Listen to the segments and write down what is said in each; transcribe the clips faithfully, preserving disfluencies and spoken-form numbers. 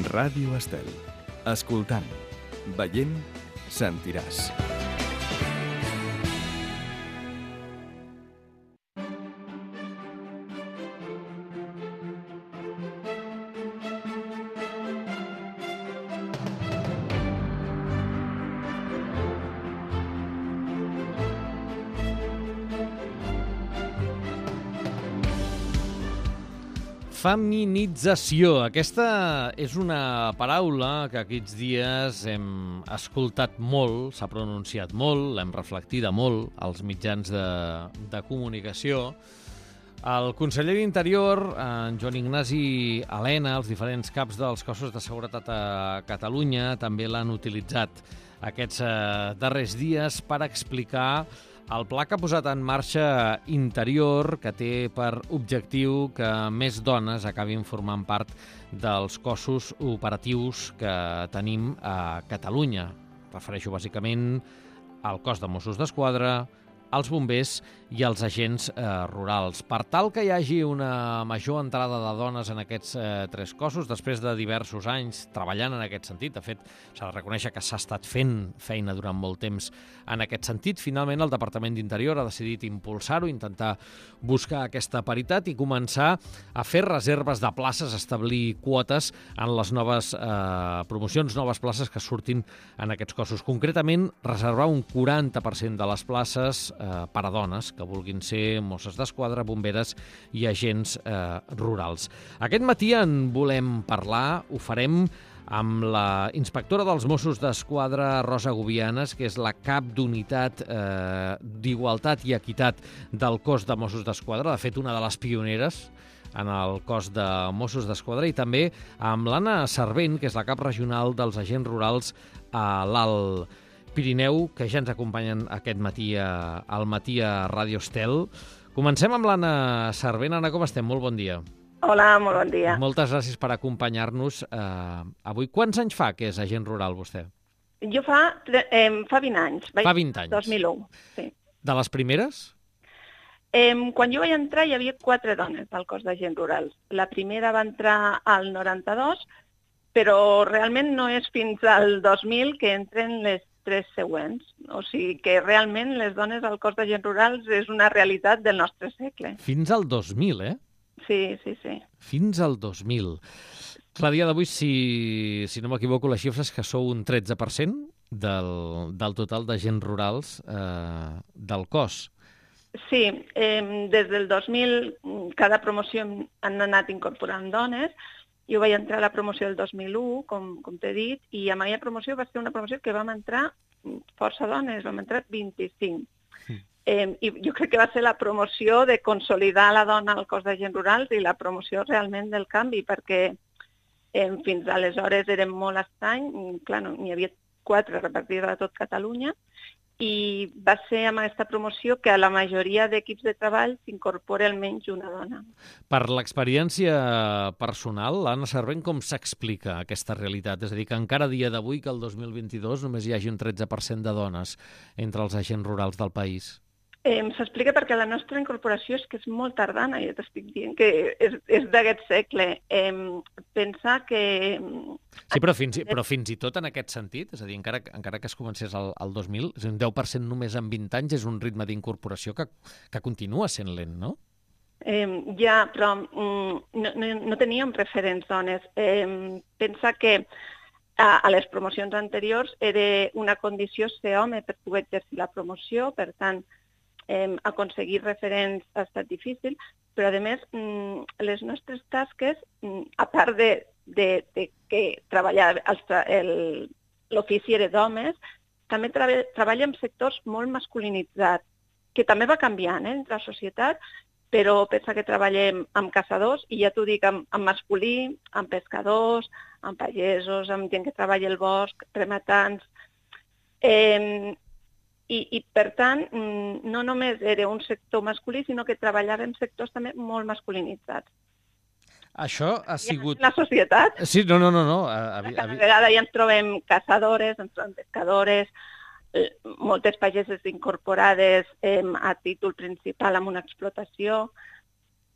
Ràdio Estel. Escoltant, veient, sentiràs. Feminització. Aquesta és una paraula que aquests dies hem escoltat molt, s'ha pronunciat molt, l'hem reflectida molt als mitjans de, de comunicació. El conseller d'Interior, en Joan Ignasi Elena, els diferents caps dels cossos de seguretat a Catalunya també l'han utilitzat aquests darrers dies per explicar el pla que ha posat en marxa Interior, que té per objectiu que més dones acabin formant part dels cossos operatius que tenim a Catalunya. Refereixo bàsicament al cos de Mossos d'Esquadra, als bombers i als agents eh, rurals. Per tal que hi hagi una major entrada de dones en aquests eh, tres cossos, després de diversos anys treballant en aquest sentit, de fet, s'ha de reconèixer que s'ha estat fent feina durant molt temps en aquest sentit, finalment el Departament d'Interior ha decidit impulsar-ho, intentar buscar aquesta paritat i començar a fer reserves de places, establir quotes en les noves eh, promocions, noves places que surtin en aquests cossos. Concretament, reservar un quaranta per cent de les places eh, per a dones que vulguin ser Mosses d'Esquadra, bomberes i agents eh, rurals. Aquest matí en volem parlar, ho farem amb la inspectora dels Mossos d'Esquadra, Rosa Gubianes, que és la cap d'unitat eh, d'Igualtat i Equitat del cos de Mossos d'Esquadra, de fet una de les pioneres en el cos de Mossos d'Esquadra, i també amb l'Anna Servent, que és la cap regional dels agents rurals a l'Alt Pirineu, que ja ens acompanyen aquest matí a, al matí a Ràdio Estel. Comencem amb l'Anna Servent. Anna, com estem? Molt bon dia. Hola, molt bon dia. Moltes gràcies per acompanyar-nos eh, avui. Quants anys fa que és agent rural, vostè? Jo fa, eh, fa vint anys. Fa vint anys. dos mil u, sí. De les primeres? Eh, quan jo vaig entrar hi havia quatre dones al cos d'agents rurals. La primera va entrar al noranta-dos, però realment no és fins al dos mil que entren les tres següents. O sigui que realment les dones al cos d'agents rurals és una realitat del nostre segle. Fins al dos mil, eh? Sí, sí, sí. Fins al dos mil. Clar, a dia d'avui, si, si no m'equivoco, les xifres que sou un tretze per cent del, del total d'agents rurals eh, del cos. Sí, eh, des del dos mil cada promoció han anat incorporant dones. Jo vaig entrar a la promoció del dos mil u, com, com t'he dit, i a aquella promoció va ser una promoció que vam entrar força dones, vam entrar vint-i-cinc. Sí. Eh, I jo crec que va ser la promoció de consolidar la dona al cos d'agents rurals i la promoció realment del canvi, perquè eh, fins aleshores érem molt estrany, clar, no, n'hi havia quatre repartides a tot Catalunya, i va ser amb aquesta promoció que a la majoria d'equips de treball s'incorpora almenys una dona. Per l'experiència personal, l'Anna Servent, com s'explica aquesta realitat? És a dir, que encara a dia d'avui, que el dos mil vint-i-dos, només hi hagi un tretze per cent de dones entre els agents rurals del país. Eh, S'explica perquè la nostra incorporació és que és molt tardana, ja t'estic dient que és, és d'aquest segle. Eh, pensar que... Sí, però fins, però fins i tot en aquest sentit, és a dir, encara, encara que es comencés al, al dos mil, és un deu per cent només en vint anys, és un ritme d'incorporació que, que continua sent lent, no? Eh, ja, però mm, no, no, no teníem referents dones. Eh, pensa que a, a les promocions anteriors era una condició ser home per poder exercir la promoció, per tant, Eh, aconseguir referents ha estat difícil, però a més mm, les nostres tasques, mm, a part de, de, de que treballar l'ofici era d'homes, també treba, treballa en sectors molt masculinitzats, que també va canviant eh, entre la societat, però pensa que treballem amb caçadors, i ja t'ho dic, amb, amb masculí, amb pescadors, amb pagesos, amb gent que treballa al bosc, rematants. Eh, I, I, per tant, no només era un sector masculí, sinó que treballava en sectors també molt masculinitzats. Això ha sigut... La societat. Sí, no, no, no. no. A, a, Cada vegada ja ens trobem caçadores, ens trobem pescadores, eh, moltes pageses incorporades eh, a títol principal amb una explotació.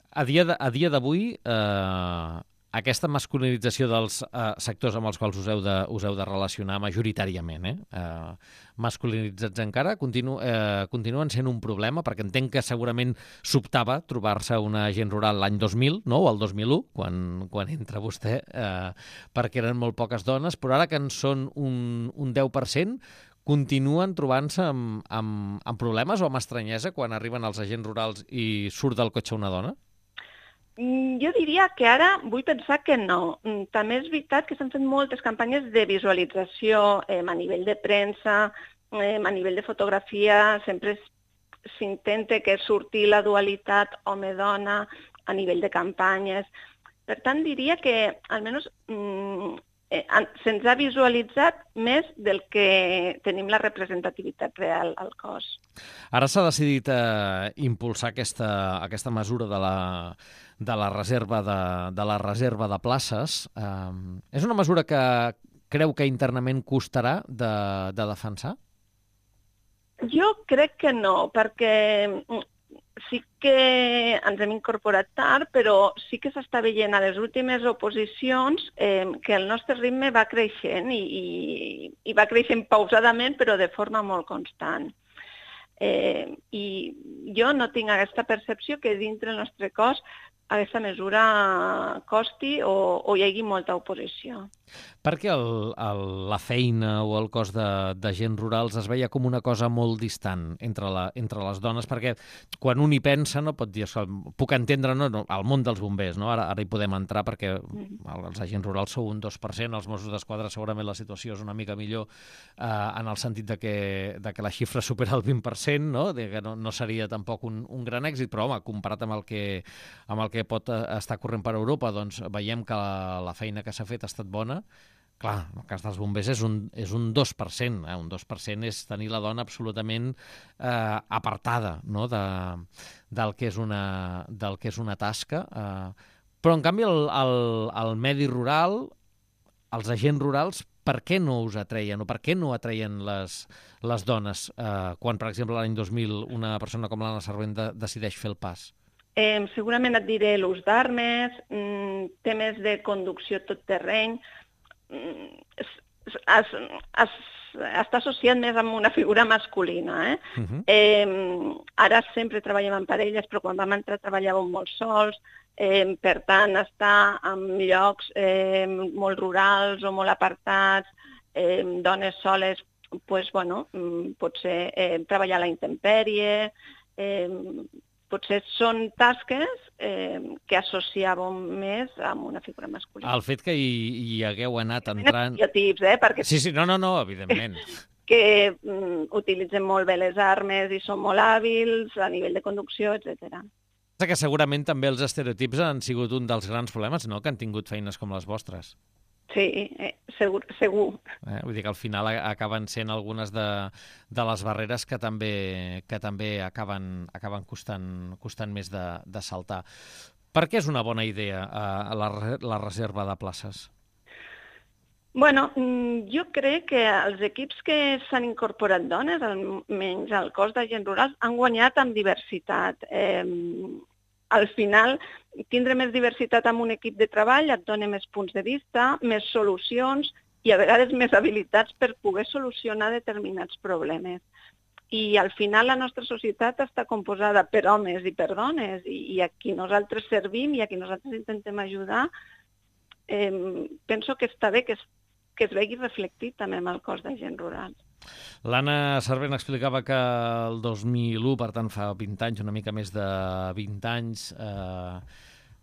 A dia de, a dia d'avui, eh, aquesta masculinització dels uh, sectors amb els quals us heu de, us heu de relacionar majoritàriament, eh? Uh, masculinitzats encara, continu, uh, continuen sent un problema, perquè entenc que segurament sobtava trobar-se una agent rural l'any dos mil, no?, o el dos mil u, quan, quan entra vostè, uh, perquè eren molt poques dones, però ara que en són un, un deu per cent, continuen trobant-se amb, amb, amb problemes o amb estranyesa quan arriben els agents rurals i surt del cotxe una dona? Jo diria que ara vull pensar que no. També és veritat que s'han fet moltes campanyes de visualització eh, a nivell de premsa, eh, a nivell de fotografia, sempre s'intenta que surti la dualitat home-dona a nivell de campanyes. Per tant, diria que almenys mm, eh, se'ns ha visualitzat més del que tenim la representativitat real al cos. Ara s'ha decidit eh, impulsar aquesta, aquesta mesura de la de la reserva de, de la reserva de places. Um, és una mesura que creu que internament costarà de, de defensar? Jo crec que no, perquè sí que ens hem incorporat tard, però sí que s'està veient a les últimes oposicions eh, que el nostre ritme va creixent i, i, i va creixent pausadament, però de forma molt constant. Eh, I jo no tinc aquesta percepció que dintre el nostre cos aquesta mesura costi o, o hi hagi molta oposició. Per què el, el, la feina o el cos de, de gent rurals es veia com una cosa molt distant entre, la, entre les dones? Perquè quan un hi pensa, no pot dir, puc entendre no, no, el món dels bombers, no? ara, ara hi podem entrar perquè els agents rurals sou un dos per cent, els Mossos d'Esquadra segurament la situació és una mica millor eh, en el sentit de que, de que la xifra supera el vint per cent, no? De que no, no seria tampoc un, un gran èxit, però home, comparat amb el que, amb el que pot estar corrent per Europa, doncs veiem que la, la feina que s'ha fet ha estat bona. Clar, en el cas dels bombers és un, és un dos per cent. Eh? Un dos per cent és tenir la dona absolutament eh, apartada, no? de, del, que és una, del que és una tasca. Eh. Però, en canvi, el, el, el medi rural, els agents rurals, per què no us atreien o per què no atreien les, les dones eh, quan, per exemple, l'any dos mil una persona com l'Anna Servent de, decideix fer el pas? Eh, segurament et diré l'ús d'armes, mm, temes de conducció tot terreny. Mm, es, es, es, està associat més amb una figura masculina. Eh? Uh-huh. eh, ara sempre treballem en parelles, però quan vam entrar treballàvem molt sols. Eh, per tant, estar en llocs eh, molt rurals o molt apartats, eh, dones soles, pues, bueno, potser eh, treballar a la intempèrie, eh, potser són tasques eh, que associàvem més amb una figura masculina. El fet que hi, hi hagueu anat entrant... Estereotips, eh? Perquè... Sí, sí, no, no, no, evidentment. Que mm, utilitzen molt bé les armes i són molt hàbils a nivell de conducció, etcètera. Que segurament també els estereotips han sigut un dels grans problemes, no?, que han tingut feines com les vostres. Sí, eh, segur. segur. Eh, vull dir que al final acaben sent algunes de, de les barreres que també, que també acaben, acaben costant, costant més de, de saltar. Per què és una bona idea eh, la, la reserva de places? Bueno, jo crec que els equips que s'han incorporat dones, almenys al cos d'agents rurals, han guanyat amb diversitat. Eh, al final, tindre més diversitat en un equip de treball et dona més punts de vista, més solucions i a vegades més habilitats per poder solucionar determinats problemes. I al final la nostra societat està composada per homes i per dones i, i a qui nosaltres servim i a qui nosaltres intentem ajudar, eh, penso que està bé que es, que es vegi reflectit també amb el cos d'agents rurals. L'Anna Servent explicava que el dos mil u, per tant fa vint anys, una mica més de vint anys, eh,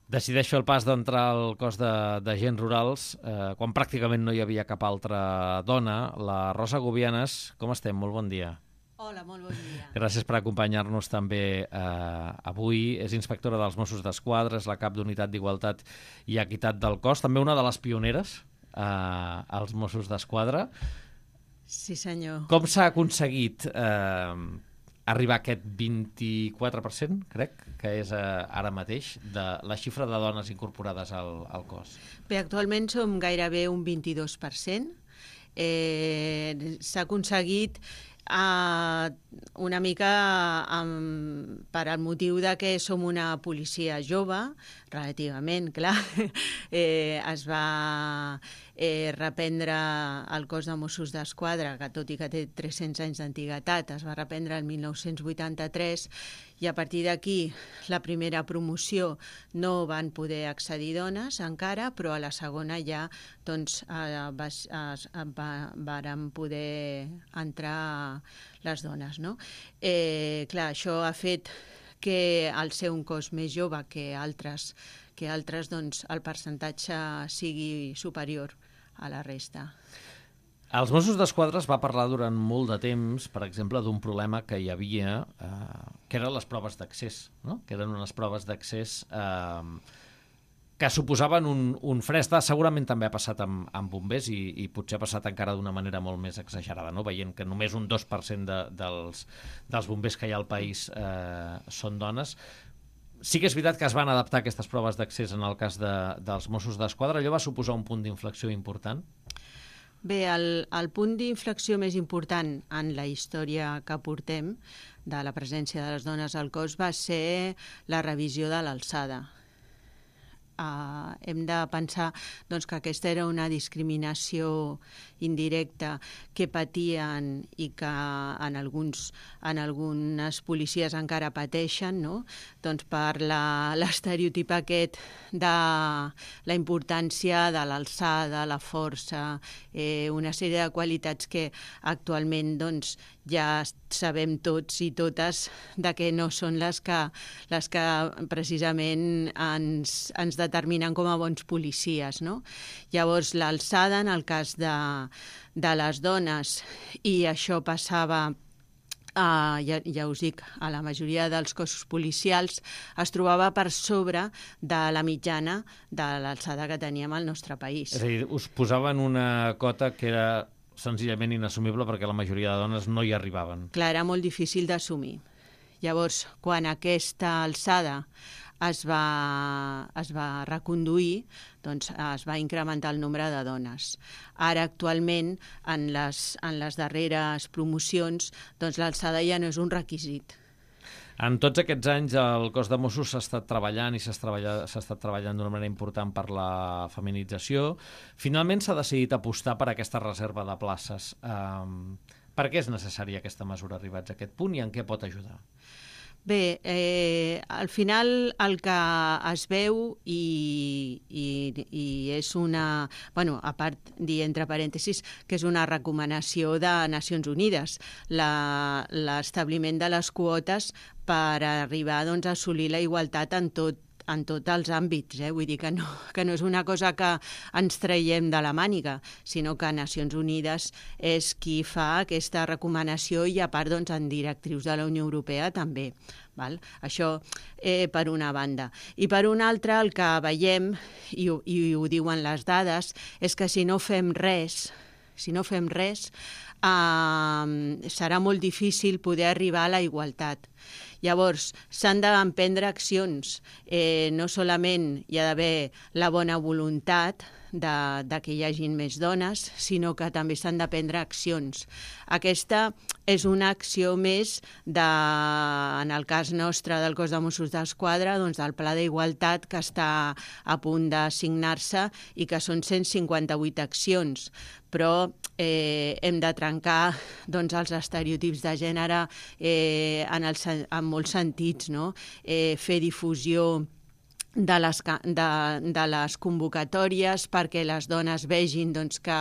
decideix fer el pas d'entrar al cos d'agents rurals eh, quan pràcticament no hi havia cap altra dona. La Rosa Gubianes, com estem? Molt bon dia. Hola, molt bon dia. Gràcies per acompanyar-nos també eh, avui. És inspectora dels Mossos d'Esquadra, és la cap d'Unitat d'Igualtat i Equitat del cos, també una de les pioneres eh, als Mossos d'Esquadra. Sí, senyor. Com s'ha aconseguit eh, arribar a aquest vint-i-quatre per cent, crec, que és eh, ara mateix, de la xifra de dones incorporades al, al cos? Bé, actualment som gairebé un vint-i-dos per cent. Eh, s'ha aconseguit Uh, una mica um, per al motiu de que som una policia jove, relativament, clar, eh, es va eh, reprendre el cos de Mossos d'Esquadra, que tot i que té tres-cents anys d'antiguitat, es va reprendre el mil nou-cents vuitanta-tres, i a partir d'aquí la primera promoció no van poder accedir dones encara, però a la segona ja doncs, eh, va, es, va, varen poder entrar les dones. No? Eh, clar, això ha fet que al ser un cos més jove que altres, que altres doncs, el percentatge sigui superior a la resta. Els Mossos d'Esquadra es va parlar durant molt de temps, per exemple, d'un problema que hi havia, eh, que eren les proves d'accés, no? Que eren unes proves d'accés eh, que suposaven un, un fresc. Segurament també ha passat amb, amb bombers i, i potser ha passat encara d'una manera molt més exagerada, no? Veient que només un dos per cent de, dels, dels bombers que hi ha al país eh, són dones. Sí que és veritat que es van adaptar aquestes proves d'accés en el cas de, dels Mossos d'Esquadra. Allò va suposar un punt d'inflexió important? Bé, el, el punt d'inflexió més important en la història que portem de la presència de les dones al cos va ser la revisió de l'alçada. Uh, hem de pensar doncs, que aquesta era una discriminació indirecta que patien i que en, alguns, en algunes policies encara pateixen, no? Doncs per l'estereotip aquest de la importància de l'alçada, la força, eh, una sèrie de qualitats que actualment doncs, ja sabem tots i totes de que no són les que, les que precisament ens, ens determinen com a bons policies. No? Llavors, l'alçada, en el cas de, de les dones, i això passava, Uh, ja, ja us dic, a la majoria dels cossos policials, es trobava per sobre de la mitjana de l'alçada que teníem al nostre país. És a dir, us posaven una cota que era senzillament inassumible perquè la majoria de dones no hi arribaven. Clar, era molt difícil d'assumir. Llavors, quan aquesta alçada es va, es va reconduir, doncs es va incrementar el nombre de dones. Ara, actualment, en les, en les darreres promocions, doncs l'alçada ja no és un requisit. En tots aquests anys el cos de Mossos s'ha estat treballant i s'ha estat treballant d'una manera important per la feminització. Finalment s'ha decidit apostar per aquesta reserva de places. Um, per què és necessària aquesta mesura arribats a aquest punt i en què pot ajudar? Bé, eh, al final el que es veu i, i, i és una... Bueno, a part, dir entre parèntesis, que és una recomanació de Nacions Unides, l'establiment de les quotes per arribar doncs, a assolir la igualtat en tot en tots els àmbits, eh? Vull dir que no, que no és una cosa que ens traiem de la màniga, sinó que Nacions Unides és qui fa aquesta recomanació i a part doncs, en directrius de la Unió Europea també. Val? Això eh, per una banda. I per una altra el que veiem, i, i ho diuen les dades, és que si no fem res, si no fem res, eh, serà molt difícil poder arribar a la igualtat. Llavors, s'han d'emprendre accions. Eh, no solament hi ha d'haver la bona voluntat de, de que hi hagin més dones, sinó que també s'han de prendre accions. Aquesta és una acció més, de, en el cas nostre del cos de Mossos d'Esquadra, doncs del Pla d'Igualtat que està a punt de signar-se i que són cent cinquanta-vuit accions. Però eh, hem de trencar doncs, els estereotips de gènere eh, en, el, en molts sentits, no? Eh, fer difusió de les, de, de les convocatòries perquè les dones vegin doncs, que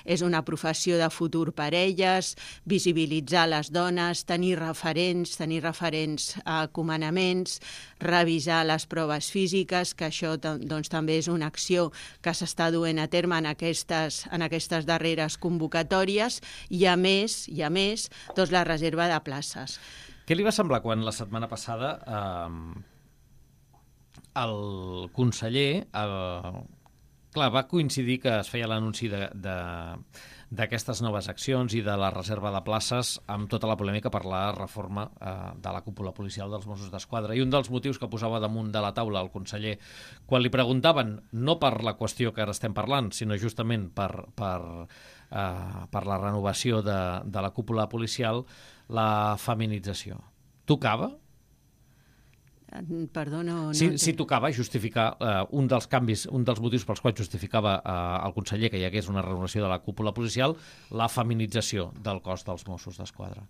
és una professió de futur per elles, visibilitzar les dones, tenir referents, tenir referents a comandaments, revisar les proves físiques, que això doncs, també és una acció que s'està duent a terme en aquestes, en aquestes darreres convocatòries i a més, i a més doncs, la reserva de places. Què li va semblar quan la setmana passada eh, el conseller eh, Clar, va coincidir que es feia l'anunci de, de, d'aquestes noves accions i de la reserva de places amb tota la polèmica per la reforma eh, de la cúpula policial dels Mossos d'Esquadra. I un dels motius que posava damunt de la taula el conseller, quan li preguntaven, no per la qüestió que ara estem parlant, sinó justament per, per, eh, per la renovació de, de la cúpula policial, la feminització. Tocava? Perdó, no... Si, no si tocava justificar eh, un dels canvis, un dels motius pels quals justificava eh, el conseller que hi hagués una renovació de la cúpula policial, la feminització del cos dels Mossos d'Esquadra.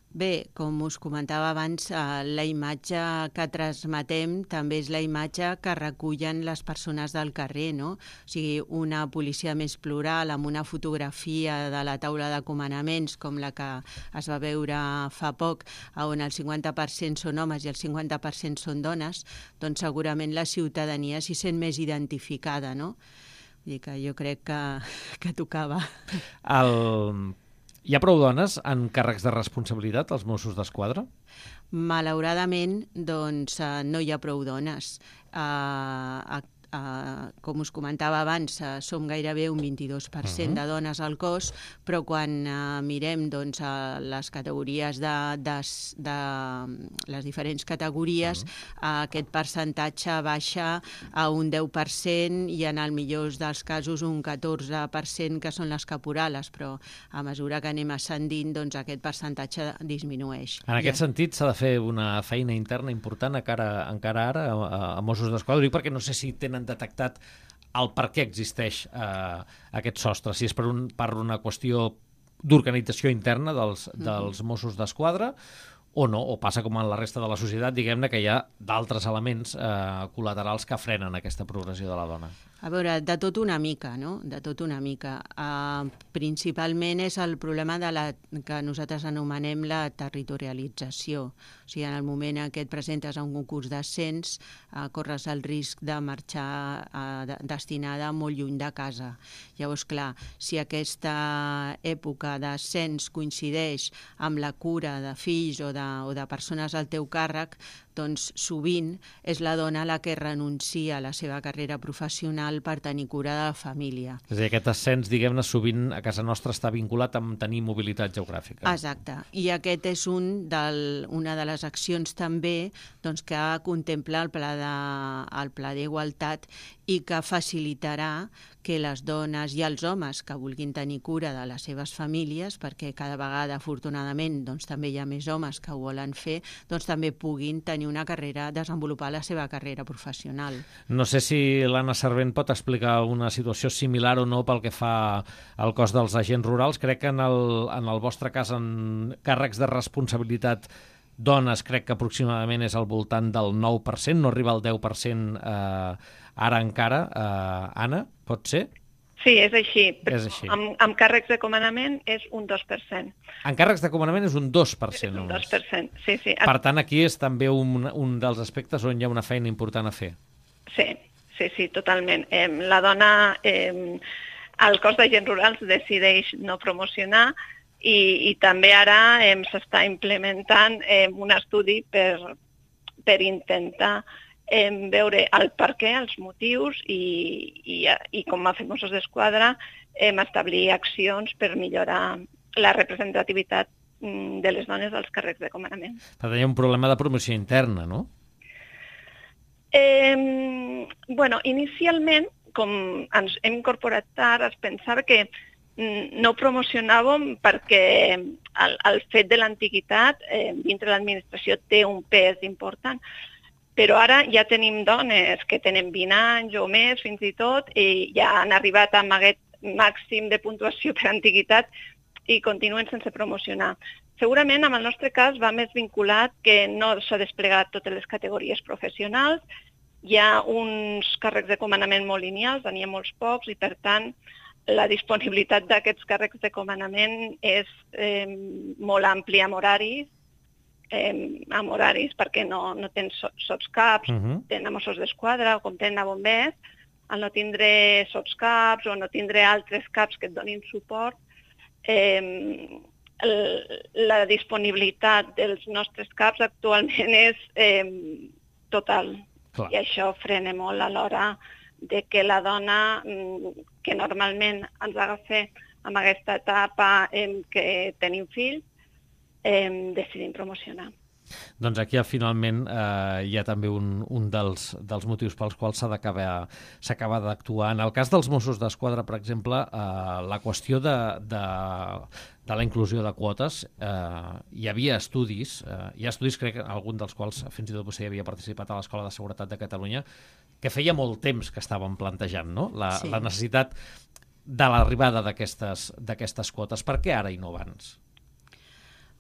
Bé, com us comentava abans, eh, la imatge que transmetem també és la imatge que recullen les persones del carrer, no? O sigui, una policia més plural, amb una fotografia de la taula de comandaments, com la que es va veure fa poc, on el cinquanta per cent són homes i el cinquanta per cent són dones, doncs segurament la ciutadania s'hi sent més identificada, no? Vull dir que jo crec que, que tocava. El... Hi ha prou dones en càrrecs de responsabilitat als Mossos d'Esquadra? Malauradament, doncs, no hi ha prou dones. Uh, Uh, com us comentava abans, uh, som gairebé un vint-i-dos per cent uh-huh. de dones al cos, però quan uh, mirem doncs, uh, les categories de, de, de les diferents categories, uh-huh. uh, aquest percentatge baixa a un deu per cent i en el millor dels casos un catorze per cent, que són les caporales, però a mesura que anem ascendint, doncs, aquest percentatge disminueix. En aquest ja. sentit, s'ha de fer una feina interna important encara, encara ara a, a Mossos d'Esquadra, perquè no sé si tenen detectat el per què existeix eh, aquest sostre, si és per, un, per una qüestió d'organització interna dels, dels Mossos d'Esquadra o no, o passa com en la resta de la societat, diguem-ne que hi ha d'altres elements eh, col·laterals que frenen aquesta progressió de la dona. A veure, de tot una mica, no? De tot una mica. Uh, principalment és el problema de la que nosaltres anomenem la territorialització. O sigui, en el moment en què et presentes a un concurs d'ascens, uh, corres el risc de marxar uh, de, destinada molt lluny de casa. Llavors, clar, si aquesta època d'ascens coincideix amb la cura de fills o de, o de persones al teu càrrec, doncs sovint és la dona la que renuncia a la seva carrera professional per tenir cura de la família. És a dir, aquest ascens, diguem-ne, sovint a casa nostra està vinculat amb tenir mobilitat geogràfica. Exacte. I aquest és un del, una de les accions també doncs, que contempla el pla de, el pla d'igualtat i que facilitarà que les dones i els homes que vulguin tenir cura de les seves famílies, perquè cada vegada, afortunadament, doncs, també hi ha més homes que ho volen fer, doncs també puguin tenir una carrera, desenvolupar la seva carrera professional. No sé si l'Anna Servent pot explicar una situació similar o no pel que fa al cos dels agents rurals. Crec que en el, en el vostre cas, en càrrecs de responsabilitat dones, crec que aproximadament és al voltant del nou per cent, no arriba al deu per cent eh, ara encara. Eh, Anna, pot ser? Sí, és així. És així. Amb, amb càrrecs de comandament és un dos per cent. En càrrecs de comandament és un dos per cent. És un només. dos per cent, sí, sí. Per tant, aquí és també un, un dels aspectes on hi ha una feina important a fer. Sí, sí, sí, totalment. Eh, la dona, eh, el cos d'agents rurals decideix no promocionar i, i també ara eh, s'està implementant eh, un estudi per, per intentar eh, veure el per què, els motius i, i, i com a Mossos d'Esquadra eh, establir accions per millorar la representativitat de les dones als càrrecs de comandament. Per tant, hi ha un problema de promoció interna, no? Eh, bueno, inicialment, com ens hem incorporat tard, es pensava que no promocionàvem perquè el, el fet de l'antiguitat eh, dintre l'administració té un pes important. Però ara ja tenim dones que tenen vint anys o més, fins i tot, i ja han arribat amb aquest màxim de puntuació per antiguitat i continuen sense promocionar. Segurament, en el nostre cas, va més vinculat que no s'ha desplegat totes les categories professionals, hi ha uns càrrecs de comandament molt lineals, n'hi ha molts pocs, i per tant, la disponibilitat d'aquests càrrecs de comandament és eh, molt àmplia amb horaris, eh, amb horaris perquè no, no tens sotscaps, uh-huh. tenen Mossos d'Esquadra o com tenen a bombers, al no tindre sotscaps o no tindre altres caps que et donin suport, eh, el, la disponibilitat dels nostres caps actualment és eh, total. Clar. I això frena molt a l'hora de que la dona, que normalment ens agafa en aquesta etapa en què tenim fills, eh, decidim promocionar. Doncs aquí finalment eh, hi ha també un, un dels, dels motius pels quals s'ha d'acabar s'acaba d'actuar. En el cas dels Mossos d'Esquadra, per exemple, eh, la qüestió de, de, de la inclusió de quotes, eh, hi havia estudis, eh, hi ha estudis, crec, algun dels quals fins i tot vostè havia participat a l'Escola de Seguretat de Catalunya, que feia molt temps que estaven plantejant, no? La, sí. la necessitat de l'arribada d'aquestes d'aquestes quotes. Per què ara i no abans?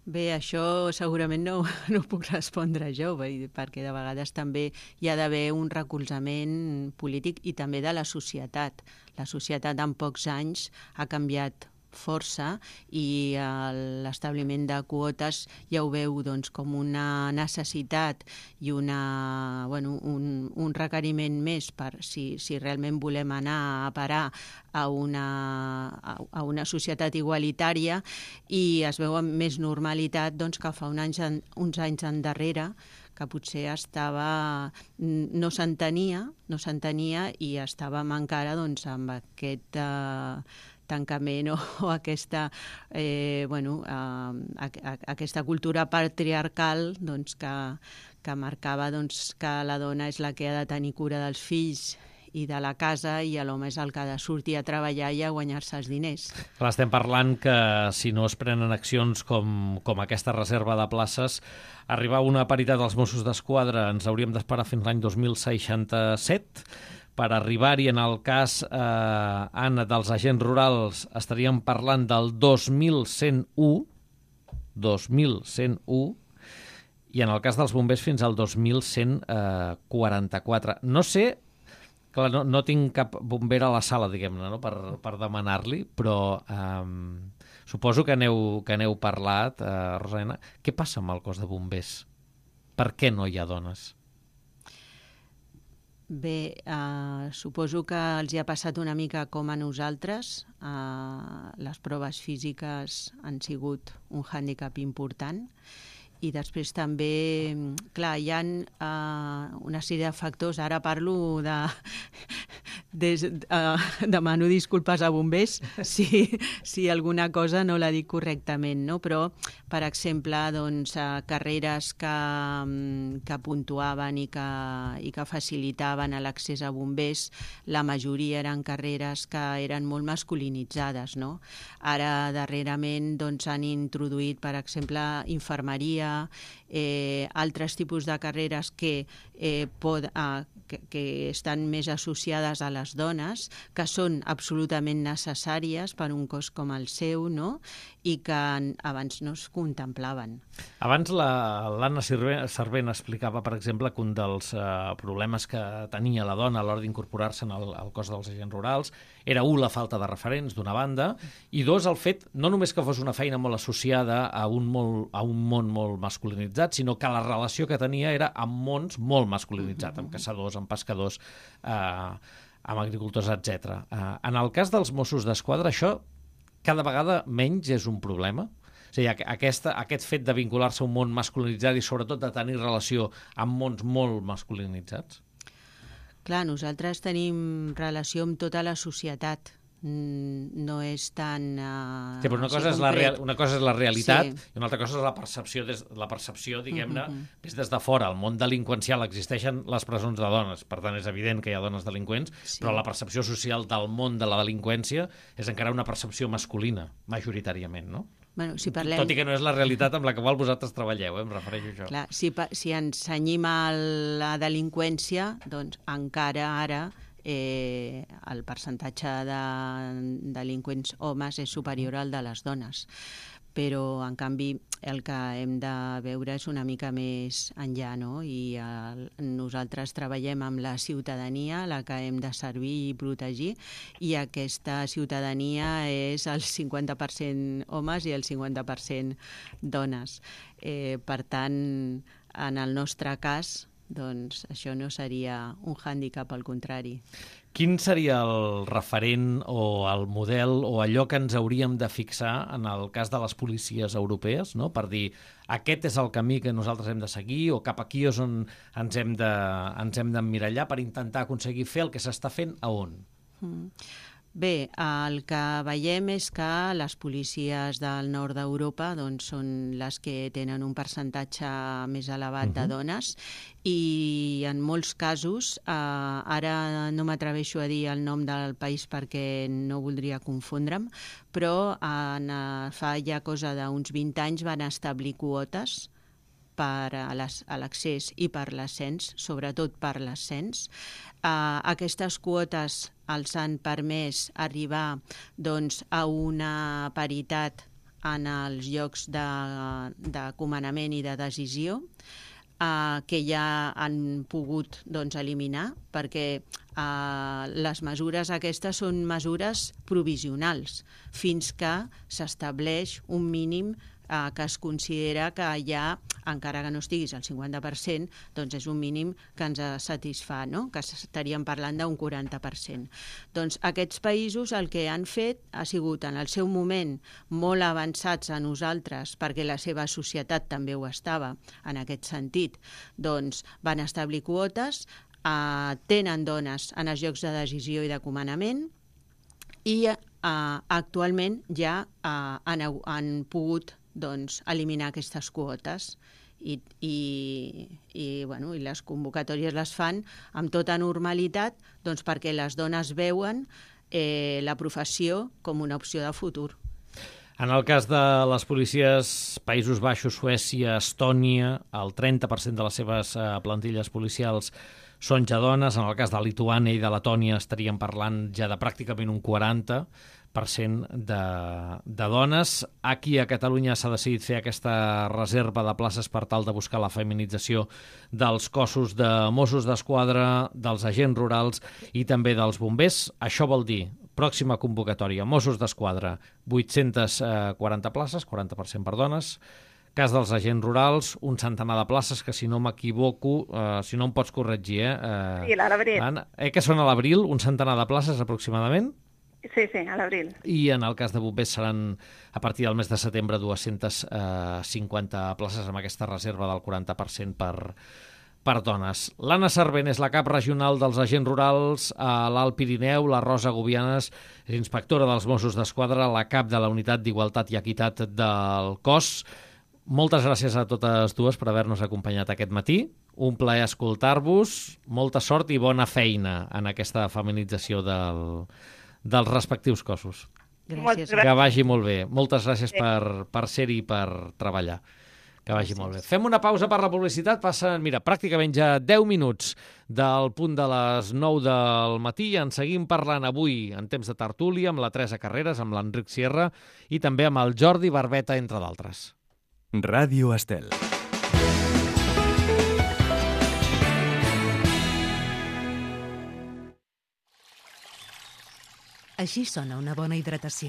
Bé, això segurament no, no puc respondre jo, perquè de vegades també hi ha d'haver un recolzament polític i també de la societat. La societat en pocs anys ha canviat força i l'establiment de quotes ja ho veu doncs, com una necessitat i una, bueno, un, un requeriment més per si, si realment volem anar a parar a una, a una societat igualitària, i es veu amb més normalitat doncs, que fa un anys, uns anys endarrere que potser estava, no s'entenia, no s'entenia i estàvem encara doncs, amb aquest eh, tancament o, o aquesta, eh, bueno, eh, a, a, aquesta cultura patriarcal doncs, que, que marcava doncs, que la dona és la que ha de tenir cura dels fills i de la casa i l'home és el que ha de sortir a treballar i a guanyar-se els diners. Clar, estem parlant que si no es prenen accions com, com aquesta reserva de places, arribar a una paritat dels Mossos d'Esquadra ens hauríem d'esperar fins l'any dos mil seixanta-set. Per arribar-hi, en el cas, eh, Anna, dels agents rurals, estaríem parlant del dos mil cent u, dos mil cent u, i en el cas dels bombers fins al dos mil cent quaranta-quatre. No sé, clar, no, no tinc cap bomber a la sala, diguem-ne, no? per, per demanar-li, però eh, suposo que aneu, que aneu parlat, eh, Rosa. Què passa amb el cos de bombers? Per què no hi ha dones? Bé, eh, suposo que els hi ha passat una mica com a nosaltres. Eh, les proves físiques han sigut un hàndicap important i després també, clar, hi ha eh, una sèrie de factors. Ara parlo de... Des, uh, demano disculpes a bombers si, si alguna cosa no la dic correctament, no? Però, per exemple, doncs, uh, carreres que, um, que puntuaven i que, i que facilitaven l'accés a bombers, la majoria eren carreres que eren molt masculinitzades, no? Ara, darrerament, doncs, han introduït, per exemple, infermeria, eh, altres tipus de carreres que, eh, pod, uh, que, que estan més associades a les dones, que són absolutament necessàries per un cos com el seu, no? I que abans no es contemplaven. Abans l'Anna Servent explicava, per exemple, que un dels eh, problemes que tenia la dona a l'hora d'incorporar-se al, al cos dels agents rurals era, un, la falta de referents, d'una banda, i dos, el fet, no només que fos una feina molt associada a un, molt, a un món molt masculinitzat, sinó que la relació que tenia era amb mons molt masculinitzats, amb caçadors, amb pescadors, eh, amb agricultors, etcètera. Eh, en el cas dels Mossos d'Esquadra, això cada vegada menys és un problema? O sigui, aquesta, aquest fet de vincular-se a un món masculinitzat i sobretot de tenir relació amb mons molt masculinitzats? Clar, nosaltres tenim relació amb tota la societat. No és tan... Uh, sí, però una cosa, és la real, una cosa és la realitat, sí, i una altra cosa és la percepció, des, la percepció diguem-ne, uh -huh. des, des de fora. El món delinqüencial, existeixen les presons de dones, per tant és evident que hi ha dones delinqüents, sí, però la percepció social del món de la delinqüència és encara una percepció masculina, majoritàriament, no? Bueno, si parlem... Tot i que no és la realitat amb la qual vosaltres treballeu, eh? Em refereixo a això. Clar, si, si ens cenyim a la delinqüència, doncs encara ara eh, el percentatge de delinqüents homes és superior al de les dones. Però, en canvi, el que hem de veure és una mica més enllà, no? I el, nosaltres treballem amb la ciutadania, la que hem de servir i protegir, i aquesta ciutadania és el cinquanta per cent homes i el cinquanta per cent dones. Eh, per tant, en el nostre cas, doncs això no seria un hàndicap, al contrari. Quin seria el referent o el model o allò que ens hauríem de fixar en el cas de les policies europees, no? Per dir, aquest és el camí que nosaltres hem de seguir o cap aquí és on ens hem de, ens hem d'emmirallar per intentar aconseguir fer el que s'està fent a on? Mm. Bé, el que veiem és que les policies del nord d'Europa doncs, són les que tenen un percentatge més elevat uh-huh. de dones i en molts casos, eh, ara no m'atreveixo a dir el nom del país perquè no voldria confondre'm, però en, fa ja cosa d'uns vint anys van establir quotes per a l'accés i per l'ascens, sobretot per l'ascens. Uh, aquestes quotes els han permès arribar doncs, a una paritat en els llocs de, de comandament i de decisió, uh, que ja han pogut doncs, eliminar, perquè uh, les mesures aquestes són mesures provisionals, fins que s'estableix un mínim eh, que es considera que ja, encara que no estiguis al cinquanta per cent, doncs és un mínim que ens satisfà, no? Que estaríem parlant d'un quaranta per cent. Doncs aquests països el que han fet ha sigut en el seu moment molt avançats a nosaltres, perquè la seva societat també ho estava en aquest sentit, doncs van establir quotes, eh, tenen dones en els llocs de decisió i de comandament, i eh, actualment ja eh, han, han pogut doncs, eliminar aquestes quotes i, i, i, bueno, i les convocatòries les fan amb tota normalitat doncs, perquè les dones veuen eh, la professió com una opció de futur. En el cas de les policies Països Baixos, Suècia, Estònia, el trenta per cent de les seves eh, plantilles policials són ja dones. En el cas de Lituània i de Letònia estaríem parlant ja de pràcticament un quaranta per cent de, de dones. Aquí a Catalunya s'ha decidit fer aquesta reserva de places per tal de buscar la feminització dels cossos de Mossos d'Esquadra, dels agents rurals i també dels bombers. Això vol dir, pròxima convocatòria, Mossos d'Esquadra, vuit-centes quaranta places, quaranta per cent per dones. Cas dels agents rurals, un centenar de places que, si no m'equivoco, eh, si no em pots corregir, eh? eh sí, a l'abril. Anna, eh, que són a l'abril, un centenar de places aproximadament? Sí, sí, a l'abril. I en el cas de bombers seran, a partir del mes de setembre, dues-centes cinquanta places amb aquesta reserva del quaranta per cent per, per dones. L'Anna Servent és la cap regional dels agents rurals a l'Alt Pirineu, la Rosa Gubianes és inspectora dels Mossos d'Esquadra, la cap de la Unitat d'Igualtat i Equitat del cos. Moltes gràcies a totes dues per haver-nos acompanyat aquest matí. Un plaer escoltar-vos, molta sort i bona feina en aquesta feminització del, dels respectius cossos. Gràcies. Que vagi molt bé. Moltes gràcies per, per ser-hi i per treballar. Que vagi gràcies. Molt bé. Fem una pausa per la publicitat. Passen, mira, pràcticament ja deu minuts del punt de les nou del matí i en seguim parlant avui en temps de tertúlia amb la Teresa Carreras, amb l'Enric Sierra i també amb el Jordi Barbeta, entre d'altres. Ràdio Estel. Així sona una bona hidratació.